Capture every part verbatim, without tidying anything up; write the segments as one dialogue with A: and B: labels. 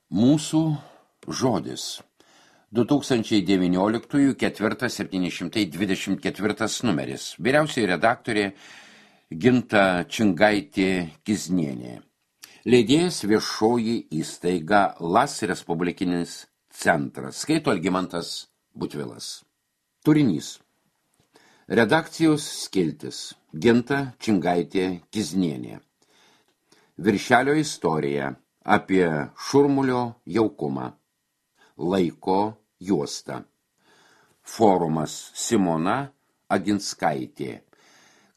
A: Mūsų žodis. du tūkstančiai devynioliktųjų ketvirtas septyni šimtai dvidešimt ketvirtas numeris. Vyriausioji redaktorė Ginta Čingaitė-Kiznienė. Leidėjas viešoji įstaiga Las Respublikinis centras. Skaito Algimantas Butvilas. Turinys. Redakcijos skiltis. Ginta Čingaitė-Kiznienė. Viršelio istorija apie šurmulio jaukumą. Laiko juosta. Forumas Simona Aginskaitė.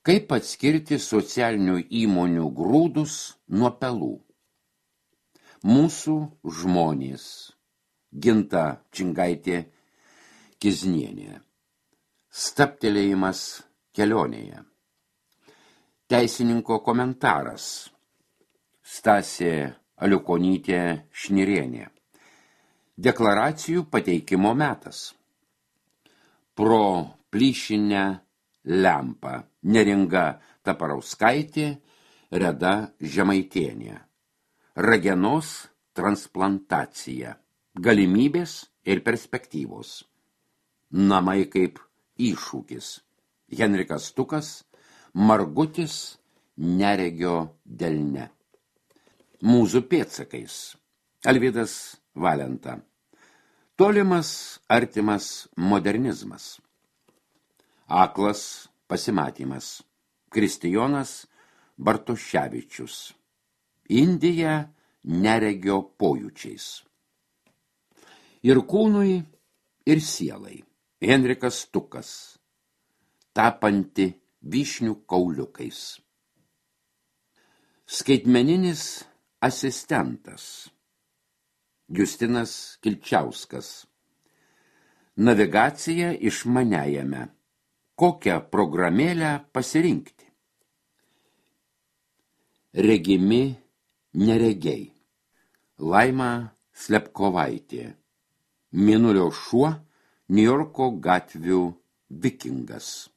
A: Kaip atskirti socialinių įmonių grūdus nuo pelų. Mūsų žmonės. Ginta Čingaitė-Kiznienė. Staptelėjimas kelionėje. Teisininko komentaras. Stasė Aliukonytė Šnirienė. Deklaracijų pateikimo metas. Pro plyšinę lempą. Neringa Taparauskaitė, Reda Žemaitienė. Ragenos transplantacija. Galimybės ir perspektyvos. Namai kaip iššūkis. Henrikas Tukas, Margutis neregio delne. Mūzų pėdsakais. Alvydas Valenta. Tolimas, artimas modernizmas. Aklas pasimatymas. Kristijonas Bartoševičius. Indija neregio pojūčiais. Ir kūnui, ir sielai. Henrikas Tukas. Tapanti vyšnių kauliukais. Skaitmeninis asistentas. Justinas Kilčiauskas. Navigacija išmaniajame. Kokią programėlę pasirinkti? Regimi neregiai. Laima Slepkovaitė. Mėnulio šuo, Niujorko gatvių vikingas.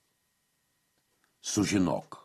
A: Sužinok.